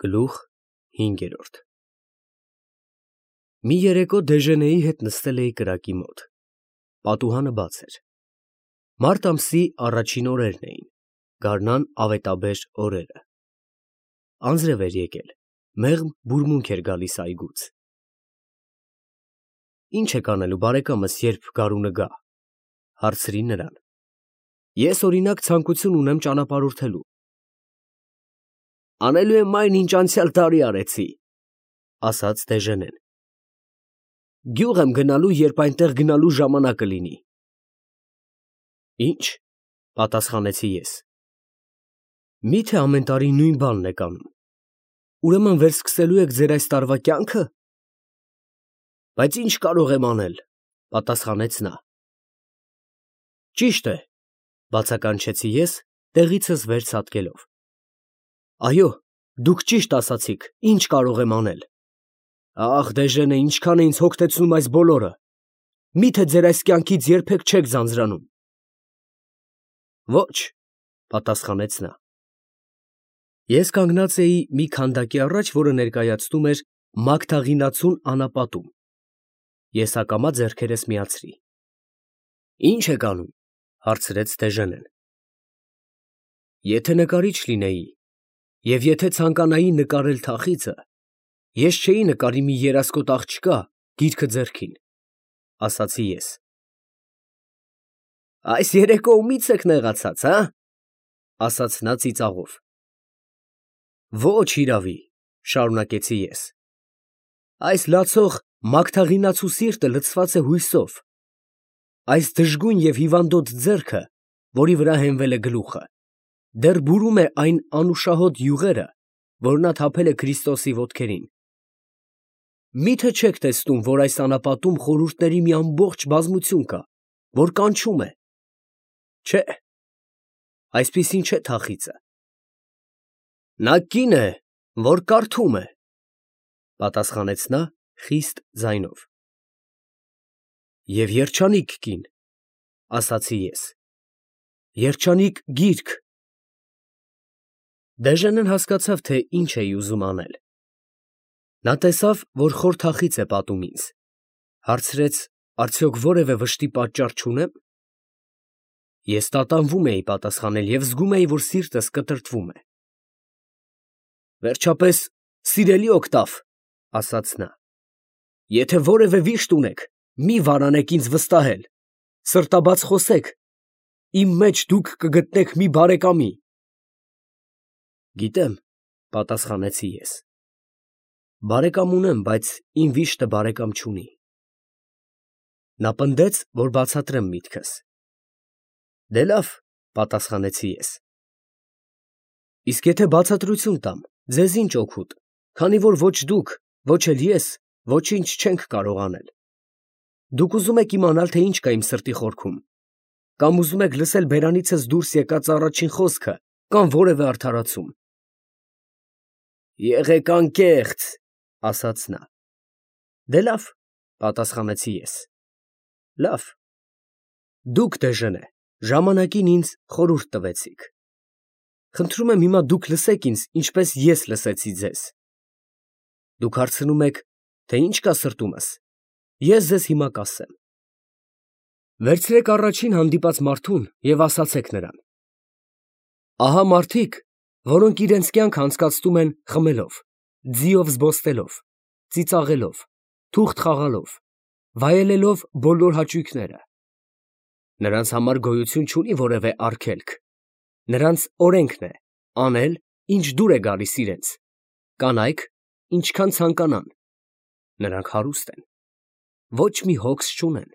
Գլուխ 5 Մի երեկո Դեժենեի հետ նստել էի կրակի մոտ, պատուհանը բաց էր, մարտ ամսի առաջին օրերն էին, գարնան ավետաբեր օրերը, անձրև էր եկել, մեղմ բուրմունք էր գալիս այգուց։ Ինչ եք անելու բարեկամս, երբ գարունը գա, հարցրի նրան։ Ես օրինակ ցանկություն ունեմ ճանապարհորդելու։ Անելու եմ այն, ինչ անցյալ տարի արեցի, ասաց Դեժենեն։ Գյուղ եմ գնալու, երբ այնտեղ գնալու ժամանակը լինի։ Ինչ, պատասխանեցի ես։ Միթե ամեն տարի նույն բանն եք անում, ուրեմն վերսկսելու եք ձեր այս տարվա կյանքը։ Բայց ինչ կարող եմ անել, պատասխանեց նա։ Ճիշտ է, բացականչեցի ես, տեղիցս վեր ցատկելով։ Այո, դուք ճիշտ ասացիք, ինչ կարող եմ անել։ Ախ, Դեժենե, ինչքան է ինձ հոգնեցնում այս բոլորը։ Միթե ձեր այս կյանքից երբեք չեք ձանձրանում։ Ոչ, պատասխանեց նա։ Ես կանգնած էի մի քանդակի առաջ, որը ներկայացնում էր Մագդաղինացուն անապատում։ Ես ակամա ձեռքերս միացրի։ Ինչ եք անում, հարցրեց Դեժենեն։ Եթե նկարիչ լինեի, և եթե ցանկանայի նկարել թախիծը, ես չէի նկարի մի երասկոտ աղջկա գիրքը ձեռքին, ասացի ես։ Այս երեկո ումից եք նեղացած, հա, ասաց նա ծիծաղով։ Ոչ իրավի, շարունակեցի ես։ Այս լացող Մագդաղինացու սիրտը լցված է հույսով։ Այս դժգույն և հիվանդոտ ձեռքը, որի վրա հենվել է գլուխը, դեռ բուրում է այն անուշահոտ յուղերը, որ նա թափել է Քրիստոսի ոտքերին։ Միթե չեք տեսնում, որ այս անապատում խորհուրդների մի ամբողջ բազմություն կա, որ կանչում է։ Չէ, այսպիսին չէ թախիծը։ Նա կին է, որ կարդում է, պատասխանեց նա խիստ ձայնով։ Եվ երջանիկ կին, ասացի ես։ Երջանիկ գիրք։ Դեժենեն հասկացավ, թե ինչ էի ուզում անել։ Նա տեսավ, որ խոր թախիծ է պատում ինձ, հարցրեց, արդյոք որևէ վշտի պատճառ չունեմ։ Ես տատանվում էի պատասխանել և զգում էի, որ սիրտս կտրտվում է։ Վերջապես, սիրելի օգտավ, ասաց նա, եթե որևէ վիշտ ունեք, մի վարանեք ինձ վստահել, սրտաբաց խոսեք, իմ մեջ դուք կգտնեք մի բարեկամի։ Գիտեմ, պատասխանեցի ես։ Բարեկամ ունեմ, բայց իմ վիշտը բարեկամ չունի։ Նա պնդեց, որ բացատրեմ միտքս։ Դե լավ, պատասխանեցի ես։ Իսկ եթե բացատրություն տամ, ձեզ ինչ օգուտ, քանի որ ոչ դուք, ոչ էլ ես, ոչինչ չենք կարող անել։ Դուք ուզում եք իմանալ, թե ինչ կա իմ սրտի խորքում, կամ ուզում եք լսել բերանիցս դուրս եկած առաջին խոսքը, կամ որևէ արդարացում։ Եղեք անկեղծ, ասաց նա։ Դե լավ, պատասխանեցի ես։ Լավ։ Դուք, Դեժենե, ժամանակին ինձ խորհուրդ տվեցիք։ Խնդրում եմ հիմա դուք լսեք ինձ, ինչպես ես լսեցի ձեզ։ Դուք հարցնում եք, թե ինչ կա սրտումս։ Ես ձեզ հիմա կասեմ։ Վերցրեք առաջին հանդիպած մարդուն և ասացեք նրան. ահա մարդիկ, որոնք իրենց կյանքը անցկացնում են խմելով, ձիով զբոսնելով, ծիծաղելով, թուղթ խաղալով, վայելելով բոլոր հաճույքները։ Նրանց համար գոյություն չունի որևէ արգելք։ Նրանց օրենքն է անել, ինչ դուր է գալիս իրենց, կանայք, ինչքան ցանկանան։ Նրանք հարուստ են, ոչ մի հոգս չունեն։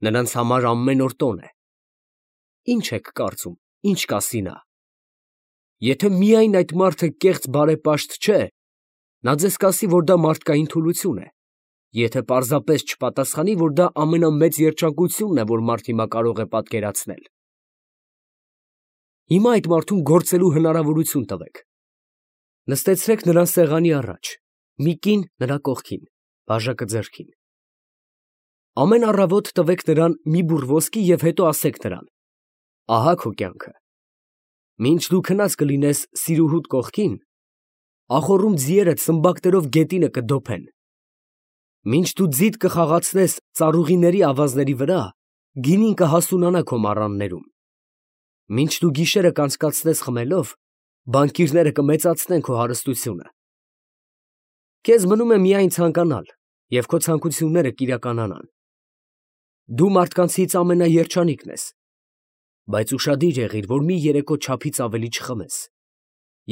Նրանց համար ամեն օր տոն է։ Ինչ եք կարծում, ինչ կասի նա։ Եթե միայն այդ մարդը կեղծ բարեպաշտ չէ, նա ձեզ կասի, որ դա մարդկային թուլություն է, եթե պարզապես չպատասխանի, որ դա ամենամեծ երջանկությունն է, որ մարդ հիմա կարող է պատկերացնել։ Հիմա այդ մարդուն գործելու հնարավորություն տվեք։ Նստեցրեք նրան սեղանի առաջ, մի կին նրա կողքին, բաժակը ձեռքին։ Ամեն առավոտ տվեք նրան մի բուռ ոսկի և հետո ասեք նրան. ահա քո կյանքը։ Մինչ դու քնած կլինես սիրուհուդ կողքին, ախոռում ձիերը սմբակներով գետինը կդոփեն։ Մինչ դու ձիտ կխաղացնես ծառուղիների ավազների վրա, գինին կհասունանա քո մառաններում։ Մինչ դու գիշերը կանցկացնես խմելով, բանկիրները կմեծացնեն քո հարստությունը։ Քեզ մնում է միայն ցանկանալ, և քո ցանկությունները կիրականանան։ Դու մարդկանցից ամենաերջանիկն ես, բայց ուշադիր եղիր, որ մի երեկո չափից ավելի չխմես,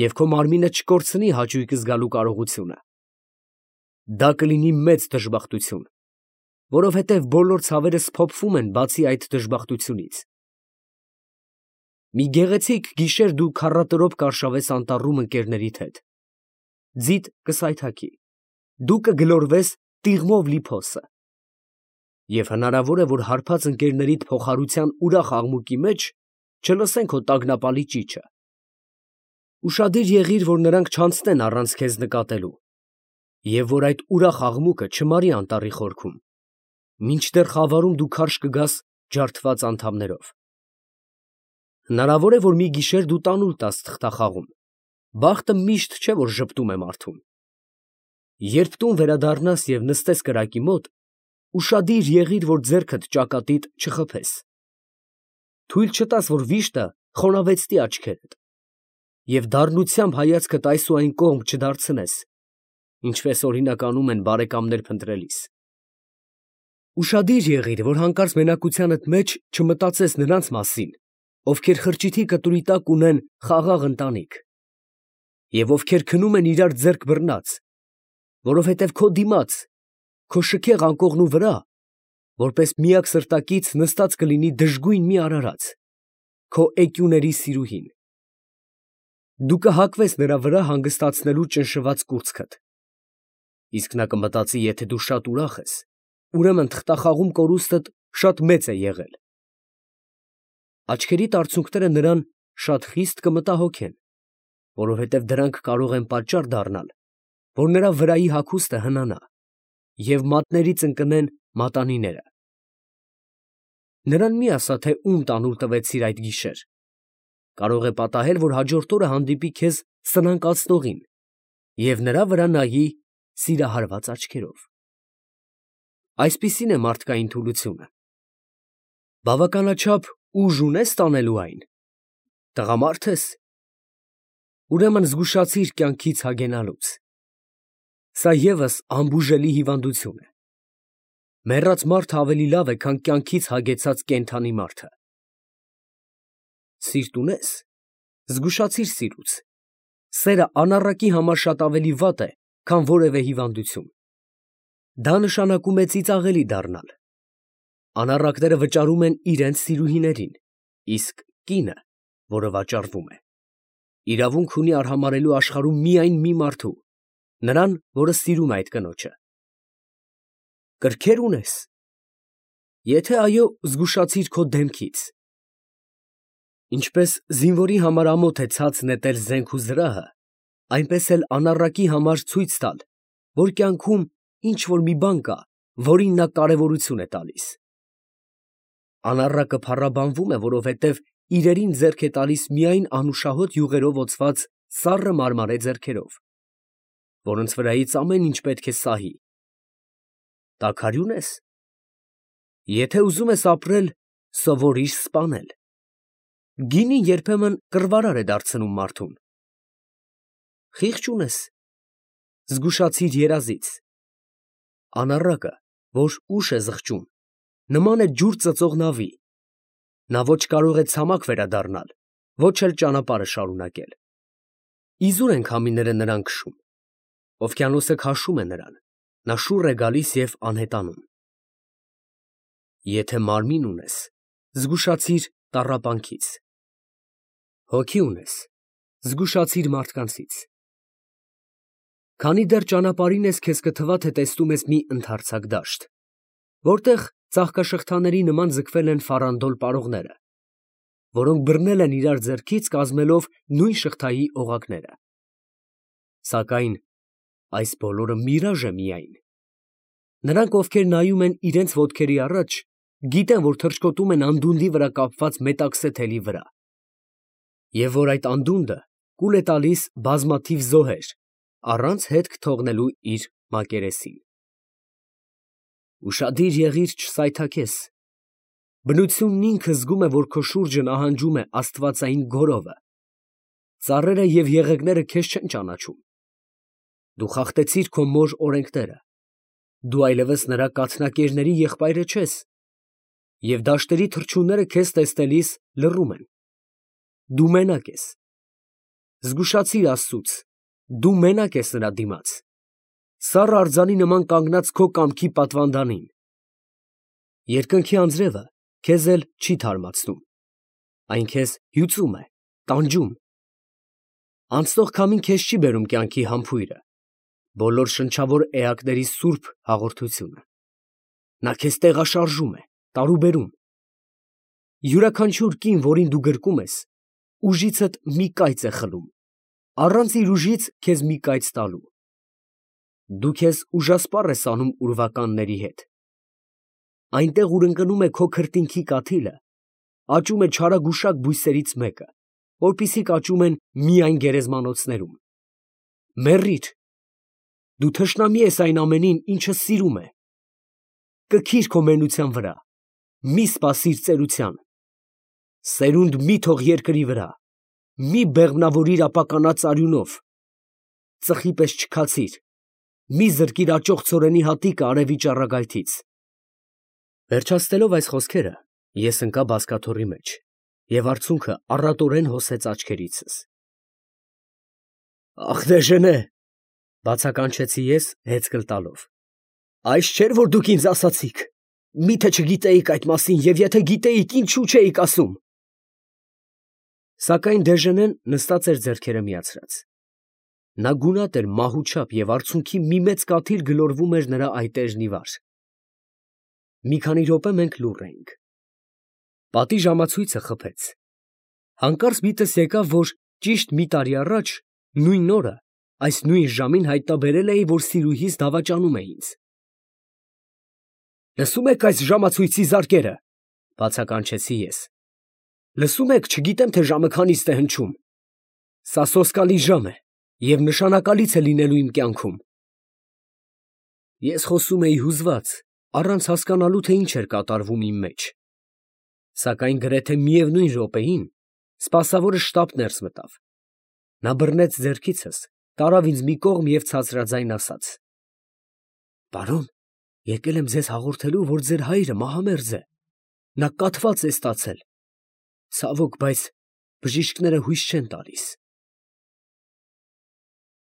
և քո մարմինը չկորցնի հաճույք զգալու կարողությունը։ Դա կլինի մեծ դժբախտություն, որովհետև բոլոր ցավերը սփոփվում են բացի այդ դժբախտությունից։ Մի գեղեցիկ գիշեր դու քառատրոփ կարշավես անտառում ընկերներիդ հետ։ Ձիտ կսայթաքի, դու կգլորվես տիղմով լի փոսը։ Եվ հնարավոր է, որ հարբած ընկերներիդ փոխարության ուրախ աղմուկի մեջ չլսեն քո տագնապալի ճիչը։ Ուշադիր եղիր, որ նրանք չանցնեն առանց քեզ նկատելու, և որ այդ ուրախ աղմուկը չմարի անտառի խորքում, մինչդեռ խավարում դու քարշ կգաս ջարդված անդամներով։ Հնարավոր է, որ մի գիշեր դու տանուլ տաս թղթախաղում, բախտը միշտ չէ, որ ժպտում է մարդուն։ Երբ տուն վերադառնաս և նստես կրակի մոտ, ուշադիր եղիր, որ ձեռքդ ճակատիդ չխփես։ Թույլ չտաս, որ վիշտը խոնավեցնի աչքերդ, և դառնությամբ հայացքդ այս ու այն կողմ չդարձնես, ինչպես օրինակ անում են բարեկամներ փնտրելիս։ Ուշադիր եղիր, որ հանկարծ մենակությանդ մեջ չմտածես նրանց մասին, ովքեր խրճիթի կտուրի տակ ունեն խաղաղ ընտանիք, և ովքեր քնում են իրար ձեռք բռնած, որովհետև քո դիմաց, քո շքեղ անկողնու վրա, որպես միակ սրտակից նստած կլինի դժգույն մի արարած, քո էկյուների սիրուհին։ Դու կհակվես նրա վրա հանգստացնելու ճնշված կուրծքդ, իսկ նա կմտածի, եթե դու շատ ուրախ ես, ուրեմն թղթախաղում կորուստդ շատ մեծ է եղել։ Աչքերիդ արցունքները նրան շատ խիստ կմտահոգեն, որովհետև դրանք կարող են պատճառ դառնալ, որ նրա վրայի հագուստը հնանա, և մատներից ընկնեն մատանիները։ Նրան մի ասա, թե ում տանուլ տվեցիր այդ գիշեր. կարող է պատահել, որ հաջորդ օրը հանդիպի քեզ սնանկացնողին և նրա վրա նայի սիրահարված աչքերով։ Այսպիսին է մարդկային թուլությունը։ Բավականաչափ ուժ ունե՞ս տանելու այն։ Տղամարդ ես։ Ուրեմն զգուշացիր կյանքից հագենալուց։ Սա ևս անբուժելի հիվանդություն է։ Մեռած մարդը ավելի լավ է, քան կյանքից հագեցած կենդանի մարդը։ Սիրտ ունե՞ս, զգուշացիր սիրուց։ Սերը անառակի համար շատ ավելի վատ է, քան որևէ հիվանդություն։ Դա նշանակում է ծիծաղելի դառնալ։ Անառակները վճարում են իրենց սիրուհիներին, իսկ կինը, որը վաճառվում է, իրավունք ունի արհամարհելու աշխարհում միայն մի մարդու, նրան, որը սիրում է այդ կնոջը։ Կրքե՞ր ունես։ Եթե այո, զգուշացիր քո դեմքից։ Ինչպես զինվորի համար ամոթ է ցած նետել զենք ու զրահը, այնպես էլ անառակի համար ցույց տալ, որ կյանքում ինչ֊որ մի բան կա, որին նա կարևորություն է տալիս։ Անառակը փառաբանվում է, որովհետև իրերին ձեռք է տալիս միայն անուշահոտ յուղերով օծված սառը մարմարե ձեռքերով, որոնց վրայից ամեն ինչ պետք է սահի։ Տաքարյու՞ն ես։ Եթե ուզում ես ապրել, սովորիր սպանել։ Գինին երբեմն կռվարար է դարձնում մարդուն։ Խիղճ ունես։ Զգուշացիր երազից։ Անառակը, որ ուշ է զղջում, նման է ջուր ծծող նավի։ Նա ոչ կարող է ցամաք վերադառնալ, ոչ էլ ճանապարհը շարունակել։ Իզուր են քամիները նրան քշում։ Օվկիանոսը քաշում է նրան, նա շուռ է գալիս և անհետանում։ Եթե մարմին ունես, զգուշացիր տառապանքից։ Հոգի ունես, զգուշացիր մարդկանցից։ Քանի դեռ ճանապարհին ես, քեզ կթվա, թե տեսնում ես մի ընդարձակ դաշտ, որտեղ ծաղկաշղթաների նման ձգվել են ֆարանդոլ պարողները, որոնք բռնել են իրար ձեռքից, կազմելով նույն շղթայի օղակները։ Սակայն այս բոլորը միրաժ է միայն։ Նրանք, ովքեր նայում են իրենց ոտքերի առաջ, գիտեն, որ թռչկոտում են անդունդի վրա կապված մետաքսե թելի վրա, և որ այդ անդունդը կուլ է տալիս բազմաթիվ զոհեր, առանց հետք թողնելու իր մակերեսին։ Ուշադիր եղիր չսայթաքես։ Բնությունն ինքը զգում է, որ քո շուրջը նահանջում է աստվածային գորովը։ Ծառերը և եղեգները քեզ չեն ճանաչում։ Դու խախտեցիր քո մոր օրենքները։ Դու այլևս նրա կաթնակերների եղբայրը չես, և դաշտերի թռչունները քեզ տեսնելիս լռում են։ Դու մենակ ես։ Զգուշացիր Աստծուց, դու մենակ ես նրա դիմաց, սառը արձանի նման կանգնած քո կամքի պատվանդանին։ Երկնքի անձրևը քեզ էլ չի թարմացնում, այն քեզ հյուծում է, տանջում։ Անցնող քամին քեզ չի բերում կյանքի համբույրը, բոլոր շնչավոր էակների սուրբ հաղորդությունը։ Նա քեզ տեղաշարժում է, տարուբերում։ Յուրաքանչյուր կին, որին դու գրկում ես, ուժիցդ մի կայծ է խլում, առանց իր ուժից քեզ մի կայծ տալու։ Դու քեզ ուժասպառ ես անում ուրվականների հետ։ Այնտեղ, ուր ընկնում է քո քրտինքի կաթիլը, աճում է չարագուշակ բույսերից մեկը, որպիսիք աճում են միայն գերեզմանոցներում։ Մեռիր։ Դու թշնամի ես այն ամենին, ինչը սիրում է։ Կքիր քո մենության վրա, մի սպասիր ծերության։ Սերունդ մի թող երկրի վրա, մի բեղմնավորիր ապականած արյունով։ Ծխի պես չքացիր, մի զրկիր աճող ցորենի հատիկը արևի ճառագայթից։ Վերջացնելով այս խոսքերը, ես ընկա բազկաթոռի մեջ, և արցունքը առատորեն հոսեց աչքերիցս։ Ախ դեժենե, բացականչեցի ես հեծկլ տալով։ Այս չէր, որ դուք ինձ ասացիք։ Միթե չգիտեիք այդ մասին, և եթե գիտեիք, ինչու չէիք ասում։ Սակայն Դեժենեն նստած էր ձեռքերը միացրած։ Նա գունատ էր մահուչապ և արցունքի մի մեծ կաթիլ գլորվում էր նրա այտեժն ի վար։ Մի քանի րոպե մենք լուռ էինք։ Պատի ժամացույցը խփեց։ Հանկարծ միտքս եկավ, որ ճիշտ մի տարի առաջ, նույն օրը, այս նույն ժամին հայտնաբերել էի, որ սիրուհիս դավաճանում է ինձ։ Լսում եք այս ժամացույցի զարկերը, բացականչեցի ես։ Լսում եք, չգիտեմ, թե ժամը քանիստ է հնչում։ Սա սոսկալի ժամ է և նշանակալից է լինելու իմ կյանքում։ Ես խոսում էի հուզված, առանց հասկանալու, թե ինչ էր կատարվում իմ մեջ։ Սակայն գրեթե միևնույն րոպեին սպասավորը շտապ ներս մտավ։ Նա բռնեց ձեռքիցս, տարավ ինձ մի կողմ և ցածրաձայն ասաց. Պարոն, եկել եմ ձեզ հաղորդելու, որ ձեր հայրը մահամերձ է։ Նա կաթված է ստացել։ Ցավոք, բայց բժիշկները հույս չեն տալիս։